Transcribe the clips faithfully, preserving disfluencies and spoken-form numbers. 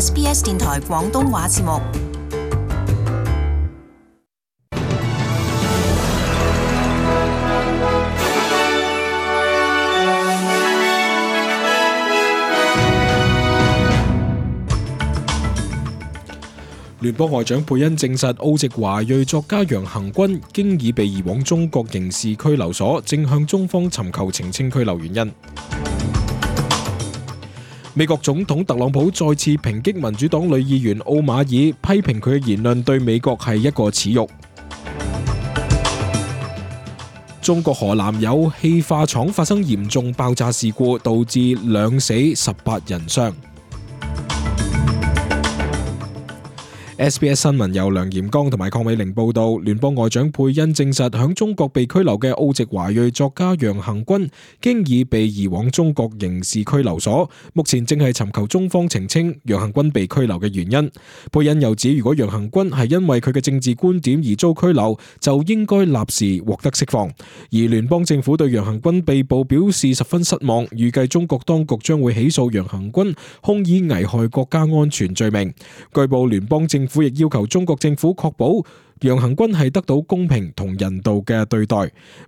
S B S 電台廣東話節目。聯邦外長佩恩證實，澳籍華裔作家楊恆均經已被移往中國刑事拘留所，正向中方尋求澄清拘留原因。美國總統特朗普再次抨擊民主黨女議員奧馬爾，批評佢嘅言論對美國係一個恥辱。中國河南有氣化廠發生嚴重爆炸事故，導致兩死十八人傷。S B S 新聞由梁炎剛同埋鄺美玲報道，聯邦外長佩恩證實，響中國被拘留嘅澳籍華裔作家楊恆均經已被移往中國刑事拘留所，目前正係尋求中方澄清楊恆均被拘留嘅原因。佩恩又指，如果楊恆均係因為佢嘅政治觀點而遭拘留，就應該立時獲得釋放。而聯邦政府對楊恆均被捕表示十分失望，預計中國當局將會起訴楊恆均控以危害國家安全罪名。據報聯邦政府政府亦要求中國政府確保楊恆均係得到公平同人道嘅對待。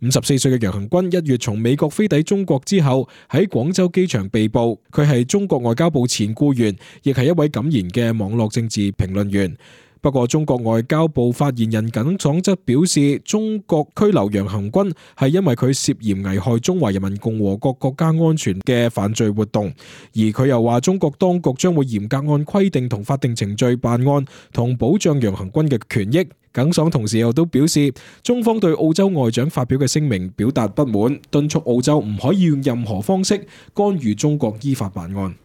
五十四歲嘅楊恆均一月從美國飛抵中國之後，喺廣州機場被捕。佢係中國外交部前僱員，亦係一位敢言嘅網絡政治評論員。不過中國外交部發言人耿爽則表示，中國拘留楊恆均係因為佢涉嫌危害中華人民共和國國家安全嘅犯罪活動，而佢又話中國當局將會嚴格按規定同法定程序辦案，同保障楊恆均嘅權益。耿爽同時又都表示，中方對澳洲外長發表嘅聲明表達不滿，敦促澳洲唔可以用任何方式干預中國依法辦案。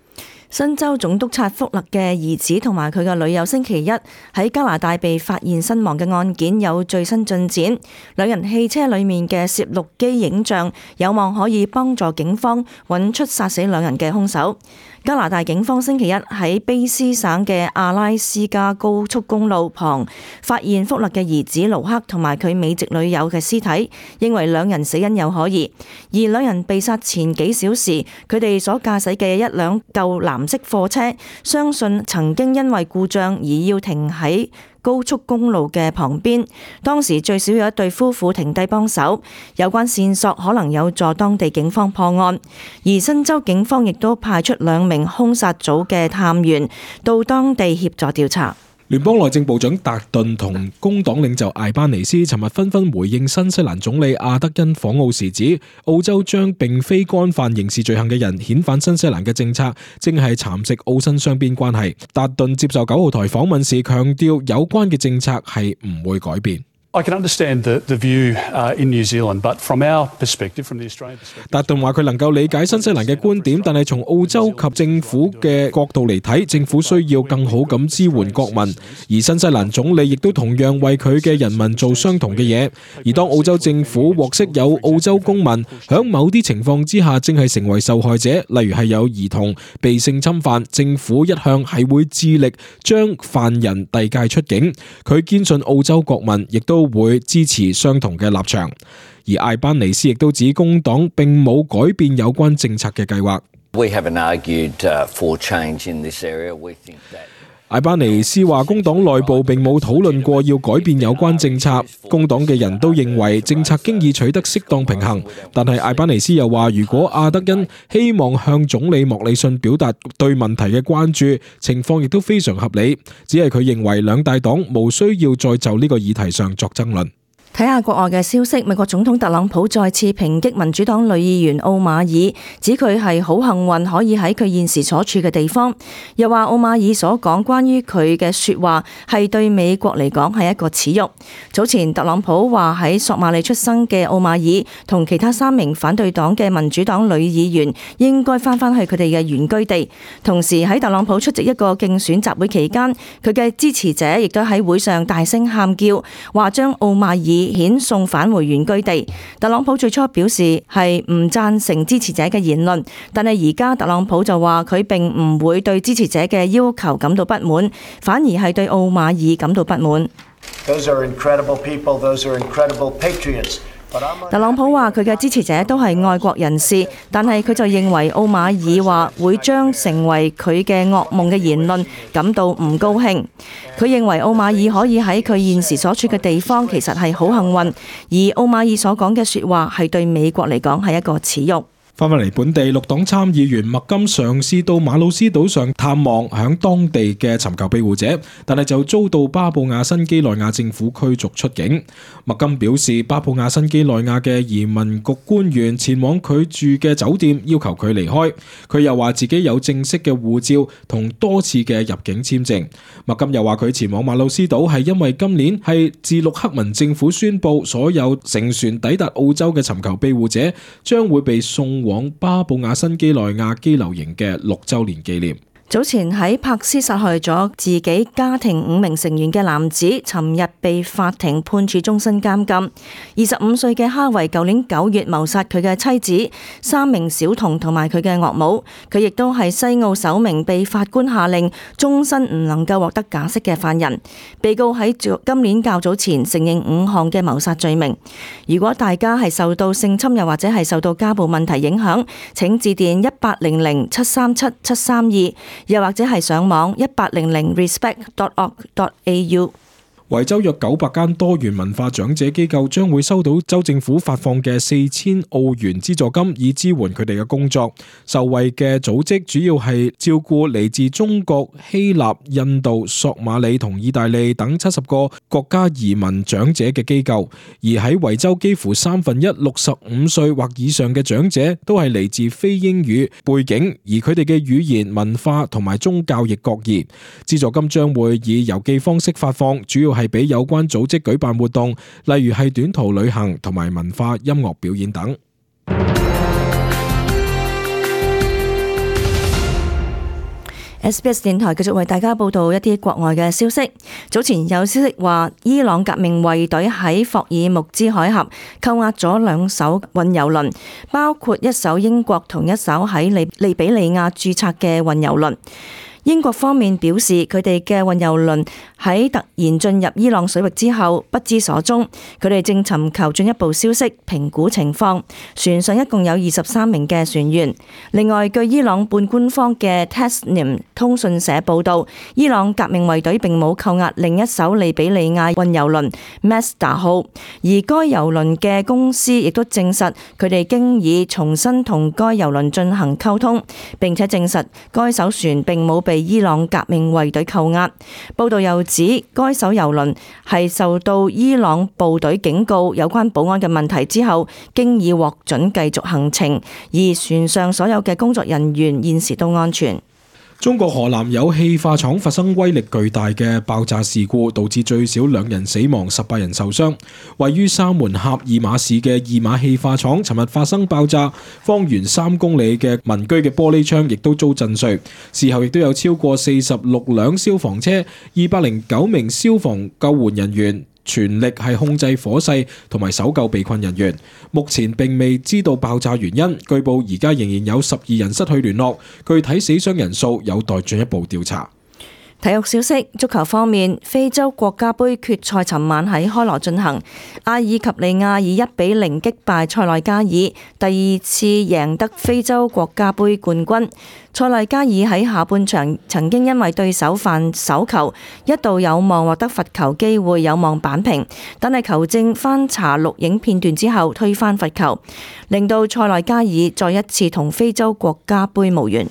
新州總督察福勒嘅兒子同埋佢嘅女友星期一喺加拿大被發現身亡嘅案件有最新進展，兩人汽車裏面嘅攝錄機影像有望可以幫助警方揾出殺死兩人嘅兇手。加拿大警方星期一喺卑斯省嘅阿拉斯加高速公路旁發現福勒嘅兒子盧克同埋佢美籍女友嘅屍體，認為兩人死因有可疑。而兩人被殺前幾小時，佢哋所駕駛嘅一輛舊藍色貨車，相信曾經因為故障而要停喺高速公路嘅旁邊，當時最少有一對夫婦停低幫手，有關線索可能有助當地警方破案。而新州警方亦都派出兩名兇殺組嘅探員到當地協助調查。聯邦內政部長達頓同工黨領袖艾班尼斯尋日紛紛回應新西蘭總理阿德恩訪澳時指，澳洲將並非干犯刑事罪行嘅人遣返新西蘭嘅政策，正係蠶食澳新雙邊關係。達頓接受九號台訪問時強調，有關嘅政策係唔會改變。I can understand the, the view uh, in New Zealand, but from our perspective, from the Australian perspective... 達頓話佢能夠理解新西蘭嘅觀點，但係從澳洲及政府嘅角度嚟睇，政府需要更好咁支援國民，而新西蘭總理亦都同樣為佢嘅人民做相同嘅嘢。而當澳洲政府獲悉有澳洲公民響某啲情況之下正係成為受害者，例如係有兒童被性侵犯，政府一向係會致力將犯人遞解出境。佢堅信澳洲國民亦都會支持相同嘅立場，而艾班尼斯亦都指工黨並冇改變有關政策嘅計劃。We haven't argued for change in this area. We think that艾班尼斯話工黨內部並冇討論過要改變有關政策，工黨嘅人都認為政策經已取得適當平衡。但係艾班尼斯又話，如果阿德恩希望向總理莫里遜表達對問題嘅關注，情況亦都非常合理，只係佢認為兩大黨無需要再就呢個議題上作爭論。睇下國外嘅消息，美國總統特朗普再次抨擊民主黨女議員奧馬爾，指佢係好幸運可以喺佢現時所處嘅地方，又話奧馬爾所講關於佢嘅說話係對美國嚟講係一個恥辱。早前特朗普話喺索馬里出生嘅奧馬爾同其他三名反對黨嘅民主黨女議員應該翻返去佢哋嘅原居地。同時喺特朗普出席一個競選集會期間，佢嘅支持者亦都喺會上大聲喊叫，話將奧馬爾遣送返回原居地。特朗普最初表示係唔贊成支持者嘅言論，但係而家特朗普就話佢並唔會對支持者嘅要求感到不滿，反而係對奧馬爾感到不滿。Those are incredible people. Those are incredible patriots. 特朗普話佢嘅支持者都係愛國人士，但係佢就認為奧馬爾話會將成為佢嘅噩夢嘅言論感到唔高興。佢認為奧馬爾可以喺佢現時所處嘅地方其實係好幸運，而奧馬爾所講嘅說話係對美國嚟講係一個恥辱。翻返嚟本地，綠黨參議員麥金嘗試到馬魯斯島上探望響當地嘅尋求庇護者，但係就遭到巴布亞新幾內亞政府驅逐出境。麥金表示，巴布亞新幾內亞嘅移民局官員前往佢住嘅酒店，要求佢離開。佢又話自己有正式嘅護照同多次嘅入境簽證。麥金又話佢前往馬魯斯島係因為今年係自陸克文政府宣布所有乘船抵達澳洲嘅尋求庇護者將會被送往巴布亞新幾內亞羈留營嘅六週年紀念。早前喺柏斯殺害咗自己家庭五名成員嘅男子，尋日被法庭判處終身監禁。二十五歲嘅哈維舊年九月謀殺佢嘅妻子、三名小童同埋佢嘅岳母。佢亦都係西澳首名被法官下令終身唔能夠獲得假釋嘅犯人。被告喺今年較早前承認五項嘅謀殺罪名。如果大家係受到性侵又或者係受到家暴問題影響，請致電一八零零七三七七三二。又或者係上網一八零零 respect dot org dot a u。維州約九百間多元文化長者機構將會收到州政府發放嘅四千澳元資助金，以支援佢哋嘅工作。受惠嘅組織主要係照顧嚟自中國、希臘、印度、索馬里同意大利等七十個國家移民長者嘅機構。而喺維州，幾乎三分一六十五歲或以上嘅長者都係嚟自非英語背景，而佢哋嘅語言、文化同埋宗教亦各異。資助金將會以郵寄方式發放，主要係俾有關組織舉辦活動，例如係短途旅行同埋文化音樂表演等。S B S 電台繼續為大家報道一啲國外嘅消息。早前有消息話，伊朗革命衛隊喺霍爾木茲海峽扣押咗兩艘運油輪，包括一艘英國同一艘喺利利比里亞註冊嘅運油輪。英國方面表示，佢哋嘅運油輪喺突然進入伊朗水域之後不知所蹤，佢哋正尋求進一步消息，評估情況。船上一共有二十三名嘅船員。另外，據伊朗半官方嘅 Tasnim 通訊社報道，伊朗革命衛隊並冇扣押另一艘利比里亞運油輪 Masdar 號，而該油輪嘅公司亦都證實佢哋經已重新同該油輪進行溝通，並且證實該艘船並冇被伊朗革命衛隊扣押。報道又指，該艘油輪係受到伊朗部隊警告有關保安嘅問題之後，經已獲准繼續行程，而船上所有嘅工作人員現時都安全。中國河南有氣化廠發生威力巨大嘅爆炸事故，導致最少兩人死亡、十八人受傷。位於沙門峽二馬市嘅二馬氣化廠尋日發生爆炸，方圓三公里嘅民居嘅玻璃窗亦都遭震碎。事後亦都有超過四十六輛消防車、二百零九名消防救援人員全力係控制火勢同埋搜救被困人員。目前並未知道爆炸原因，據報而家仍然有十二人失去聯絡，具體死傷人數有待進一步調查。體育消息，足球方面，非洲國家盃決賽尋晚喺開羅進行，阿爾及利亞以一比零擊敗塞內加爾，第二次贏得非洲國家盃冠軍。塞內加爾喺下半場曾經因為對手犯手球，一度有望獲得罰球機會，有望扳平，但係球證翻查錄影片段之後推翻罰球，令到塞內加爾再一次同非洲國家盃無緣。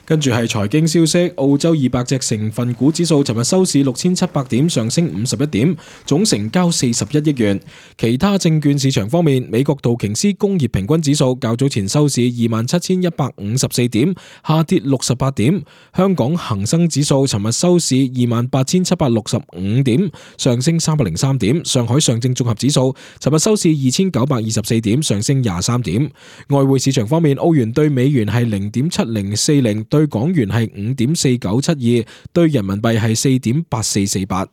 跟住係財經消息，澳洲二百隻成分股指數尋日收市六千七百點，上升五十一點，總成交四十一億元。其他證券市場方面，美國道瓊斯工業平均指數較早前收市二萬七千一百五十四點，下跌六十八點。香港恒生指數尋日收市二萬八千七百六十五點，上升三百零三點。上海上證綜合指數尋日收市二千九百二十四點，上升廿三點。外匯市場方面，澳元對美元係零點七零四零，對港元係五點四九七二，對人民幣係四點八四四八。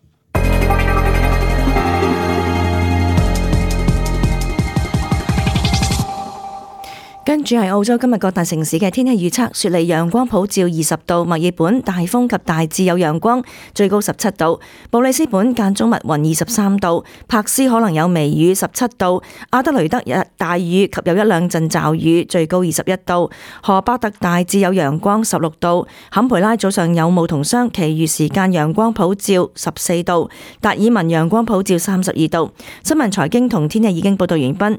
跟住係澳洲今日各大城市嘅天氣預測：雪梨陽光普照二十度，墨爾本大風及大致有陽光，最高十七度；布里斯本間中密雲二十三度；柏斯可能有微雨十七度；阿德雷德日大雨及有一兩陣驟雨，最高二十一度；荷巴特大致有陽光十六度；坎培拉早上有霧同霜，其餘時間陽光普照十四度；達爾文陽光普照三十二度。新聞財經同天氣已經報道完畢。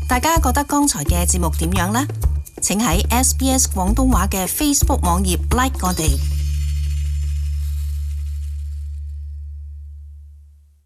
大家覺得剛才嘅節目點樣呢？請喺 S B S 廣東話嘅 Facebook 網頁 like 我哋。